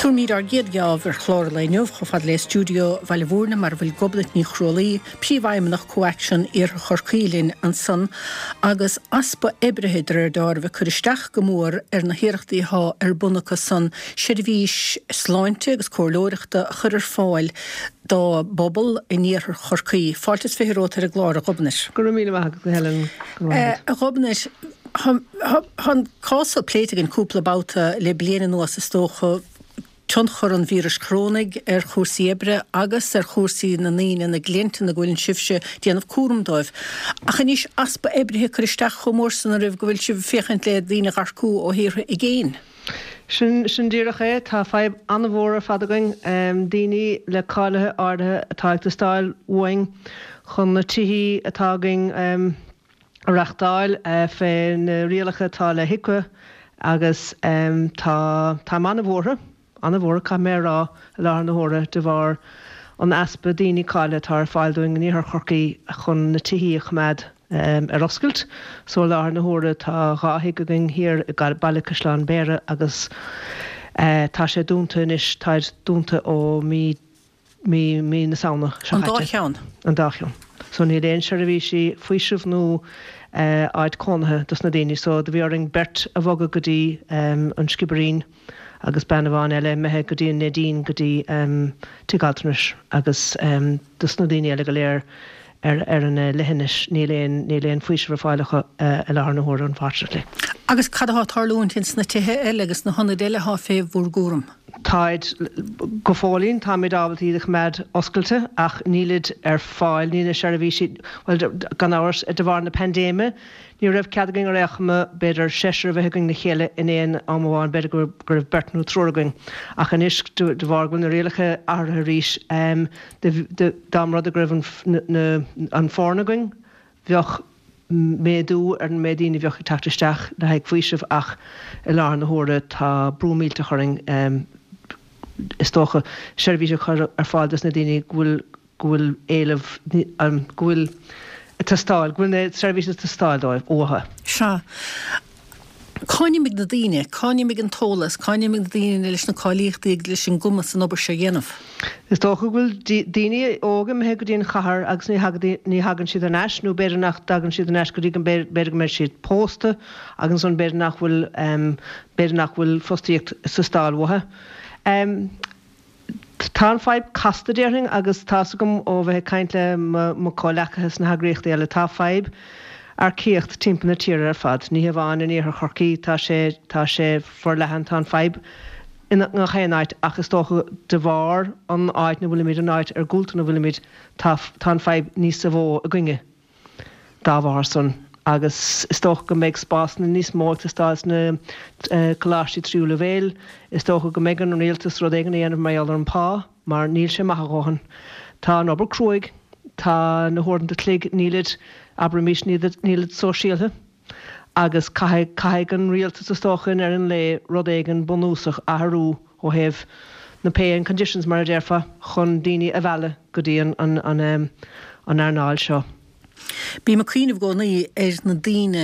Tabharfaimid ár gcéad gheábh ar chlár an lae inniu chomh fada le stiúideo Bhaile Mhúirne mar a bhfuil Gobnait Ní Chrualaoi, Príomhfheidhmeannach ComhAction Iarthar Chorcaí linn ansan agus easpa oibrithe de réir deáraimh ag cur isteach go mór ar na hiarrachtaí athá ar bun acu san seirbhís sláinte agus comhairleoireachta a chur ar fáil dá bpobal in iarthar Chorcaí. Fáilte is romhat ar an gclár, a Ghobnait. Go raibh míle maith agat, a Helen. Go raibh maith agat. A Ghobnait, tá an cás seo pléite againn cúpla babhta le bliain anuas is dócha, tionchar an víris chorónaigh ar chúrsaí oibre agus ar chúrsaí na ndaoine, na gcliant ina go bhfuileann sibhse ag déanamh cúram dóibh. Ach anois easpa oibrithe ag cur isteach chomh mór san oraibh go bhfuil sibh ag féachaint le daoine a dh'earcú ó thíortha i gcéin. Sin, sin díreach é. Tá fadhb an-mhór ar fad againn. Daoine le cáilithe áirithe atá ag teastáil uainn chun na tithí atá againn a reachtáil fé na rialacha atá le HIQA agus tá, táim an-bhuartha, an-bhuartha caithfidh mé a rá i láthair na huaire de bharr an easpa daoine cáilithe atá ar fáil dúinn in Iarthar Chorcaí chun na tithí a choimeád ar oscailt. So i láthair na huaire tá 2 thigh againn thiar i Baile Caisleán Bhéarra agus tá sé dúnta anois, táid dúnta ó mí mí mí na Samhna seo An dá caite. cheann? An dá cheann. So níl aon seirbhísí faoisimh nó áit cónaithe dos na daoine. So do bhí orainn beirt a bhogadh go dtí an Sciobairín agus bean amháin eile imithe go dtí an Neidín go dtí tigh altranais agus dos na daoine eile go léir ar ar an leithinis níl aon níl aon faoiseamh ar fáil acu i láthair na huaire unfortunately. Agus cad atá ag tarlúint ins na tithe eile agus na hionaid eile atá fé bhur gcúram? Táid, go fóillín, táimid ábalta iad a choimeád oscailte ach nílid ar fáil, níl na seirbhísí, bhuel gan amhras de bharr na paindéime ní raibh cead againn ar aon chuma b'fhéidir seisear a bheith againn le chéile in aon am amháin, b'fhéidir go raibh beirt nó triúr againn ach anois de bharr go bhfuil na rialacha athraithe arís, Dá mba rud é go raibh an foireann againn, bheadh méadú ar an méid daoine a bheadh ag teacht isteach le haghaidh faoisimh ach i láthair na huaire tá brú millteach orainn is dócha seirbhís a chur ar fáil dos na daoine go bhfuil go bhfuil éileamh go bhfuil ag teastáil go bhfuil na seirbhísí ag teastáil dóibh uathu. Sea. Cá n-imigh na daoine? Cá n-imigh an t-eolas? Cá n-imigh na daoine leis na cáilíochtaí agus leis an gcumas an obair seo a dhéanamh? Is dócha go bhfuil daoine óga imithe go dtí an chathair agus ní ní thagann siad thar n-ais nó b'fhéidir nach dtagann siad thar n-ais go dtí go b'fhéidir go mbeidh siad pósta agus ansan b'fhéidir nach bhfuil b'fhéidir nach bhfuil fostaíocht ag teastáil uathu. Tá an fadhb casta, déarfainn, agus tá's agam ó bheith ag caint le mo chomhleacaithe sna heagraíochtaí eile, tá fadhb earcaíocht timpeall na tíre ar fad. Ní hamháin in iarthar Chorcaí, tá sé, tá sé forleathan, tá an fadhb i ngach aon áit ach is dócha de bharr an áit 'na bhfuilimid, an áit iargúlta 'na bhfuilimid, tá, tá an fadhb níosa mhó againne. dá bharr san, agus is dócha go mbeidh spásanna níos mó ag teastáil sna coláistí tríú leibhéil. Is dócha go mbeidh ar an rialtas rud éigin a dhéanamh mar gheall ar an pá, mar níl sé maith a dhóthain. Tá an obair cruaidh, tá na huaireanta chloig, nílid, abraimis, nílid sóisialtha, agus caithfidh, caithfidh an rialtas, is dócha, i ndeireadh an lae, rud éigin bunúsach a athrú ó thaobh na pay and conditions, mar a déarfá, chun daoine a mhealladh go dtí an, an, an earnáil seo. Bím ag cuimhneamh i gcónaí ar na daoine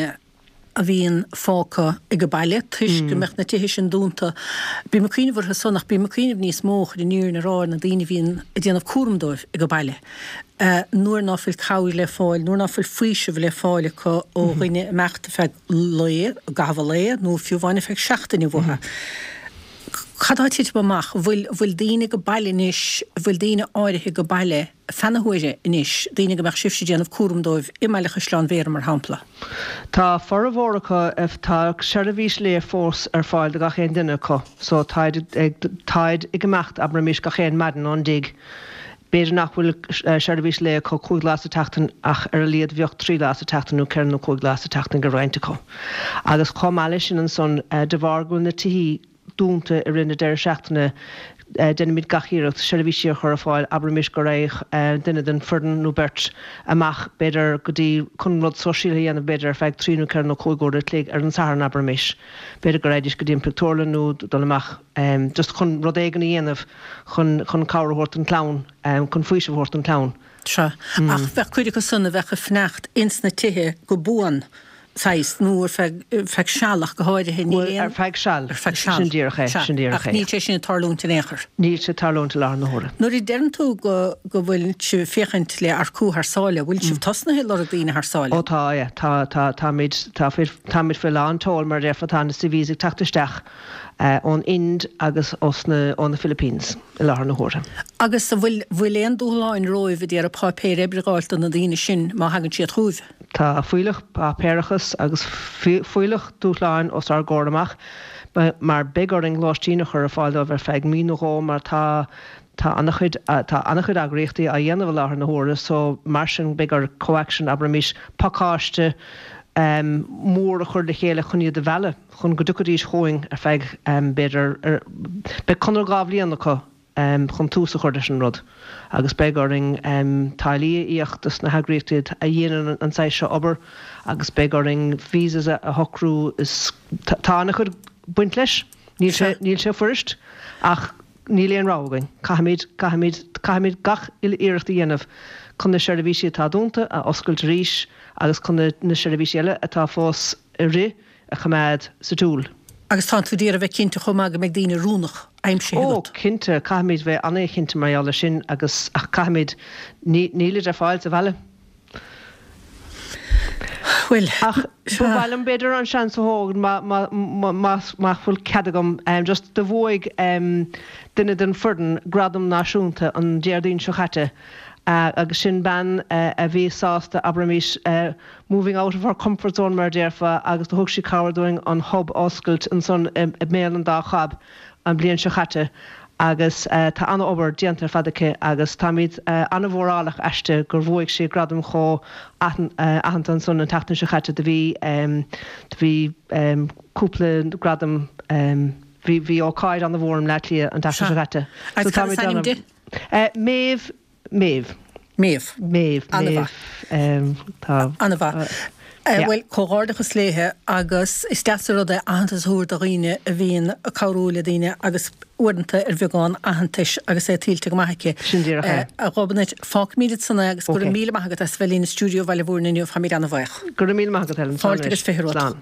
a bhíonn fágtha ag baile toisc go mbeadh na tithe sin dúnta. Bím ag cuimhneamh orthu san ach bím ag cuimhneamh níos mó, chun an fhírinne a rá, ar na daoine a bhíonn ag déanamh cúram dóibh ag baile. Nuair ná fuil cabhair le fáil, nuair ná fuil faoiseamh le fáil acu ó dhuine imeacht ar feadh lae, i gcaitheamh an lae nó fiú amháin ar feadh seachtaine uathu. Cad tá ag titim amach? Bhfuil, bhfuil daoine ag baile anois, bhfuil daoine áirithe ag baile feadh na huaire anois, daoine go mbeadh sibhse ag déanamh cúram dóibh i mBaile Chaisleáin Bhéarra, mar shampla? Tá formhór acu, tá seirbhís lae fós ar fáil do gach aon duine acu so táid ag, táid ag imeacht, abraimis, gach aon maidin ón dtigh. B'fhéidir nach bhfuil seirbhís lae acu 5 lá sa tseachtain ach ar a laghad bheadh 3 lá sa tseachtain nó 4 nó 5 lá sa tseachtain ag roinnt acu. Agus chomh maith leis sin ansan, de bharr go bhfuil na tithí dúnta i rith na deireadh seachtaine, déanaimid gach iarracht seirbhísí a chur ar fáil, abraimis go raghadh duine den foireann nó beirt amach b'fhéidir go dtí chun rud sóisialta a dhéanamh b'fhéidir ar feadh 3 nó 4 nó 5 uair a chloig ar an Satharn abraimis. B'fhéidir go raghaidís go dtí an pictiúrlann nó dul amach just chun rud éigin a dhéanamh. chun chun cabhair a thabhairt don chlann, chun faoiseamh a thabhairt don chlann. Sea. Ach bheadh cuid acu san a bheadh ag fanacht ins na tithe go buan. saghas, nó ar feadh, feadh seal ach go háirithe, níl aon. Ar feadh seal. Ar feadh seal. Sin díreach é, sin díreach é. Ach níl sé sin ag tarlúint in aon chor. Níl sé ag tarlúint i láthair na huaire. Nuair a deireann tú go, go bhfuil sibh ag féachaint le earcú thar sáile, bhfuil sibh tosnaithe ag lorg daoine thar sáile? Ó tá, yeah. Tá, tá, táimid, tá faoi, táimid faoi lán tseoil mar a déarfá, tá na CVs ag teacht isteach ón Ind agus ós na, ó na Philippines i láthair na huaire. Agus an bhfuil, bhfuil aon dúshláin romhaibh ag iarraidh páipéir oibre a dh'fháilt do na daoine sin má thagann siad chugaibh? Tá fuílleach páipéarachas agus fuílleach dúshláin os ár gcomhair amach mar beidh orainn lóistín a chur ar fáil dóibh ar feadh mí nó dhó mar tá tá an-chuid tá an-chuid eagraíochtaí á dhéanamh i láthair na huaire so mar sin beidh ar CoAction abraimis pacáiste mór a chur le chéile chun iad a mhealladh chun go dtiocfaidís chugainn ar feadh b'fhéidir beidh conradh 2 bhliain acu chun tús a chur leis an rud agus beidh orainn táillí a íoc dos na heagraíochtaí a dhéanann an saghas seo obair agus beidh orainn visas a shocrú is tá an-chuid baint leis. Níl sé, níl sé fuirist ach níl aon rogha againn. Caithfimid, caithfimid, caithfimid gach uile iarracht a dhéanamh chun na seirbhísí atá dúnta a oscailt arís agus chun na seirbhísí eile atá fós ag rith a choimeád sa tsiúl. Agus tánn tú d'iarraidh bheith cinnte chomh maith go mbeidh daoine oiriúnach aimsithe agat. Ó, cinnte, caithfimid bheith an-chinnte mar gheall air sin agus, ach caithfimid, ní, nílid ar fáil sa bhaile. Bhuel, Ach ba mhaith liom b'fhéidir an seans a thógaint má, má, má, má bhfuil cead agam, just do bhuaigh duine den foireann gradam náisiúnta an Déardaoin seo chaite agus sin bean a bhí sásta, abraimis, moving out of her comfort zone mar a déarfá agus do thug sí cabhair dúinn an hub a oscailt ansan i mBéal an Dá Chab an bhliain seo chaite agus tá an-obair déanta ar fad aici agus táimid an-mhórálach aisti gur bhuaigh sí gradam chomh aitheanta ansan an tseachtain seo chaite do bhí do bhí cúpla gradam bhí bhí ócáid an-mhór i mBleá Cliath an tseachtain seo chaite. Agus cad is ainm di? Méabh Méabh. Méabh. Méabh. An-mhaith. Tá. An-mhaith. Bhuel, comhghairdeachas léithe agus is deas an rud é aitheantas a thabhairt do dhaoine a bhíonn ag cabhrú le daoine agus uaireanta ar bheagán aitheantais agus é tuillte go maith aici. Sin díreach é. A Ghobnait, fágfaimid ansan é agus go raibh míle maith agat as bheith linn i stiúideo Bhaile Mhúirne inniu, táimid an-bhuíoch. Go raibh míle maith agat, Helen. Fáilte agus 20 romhat. Slán.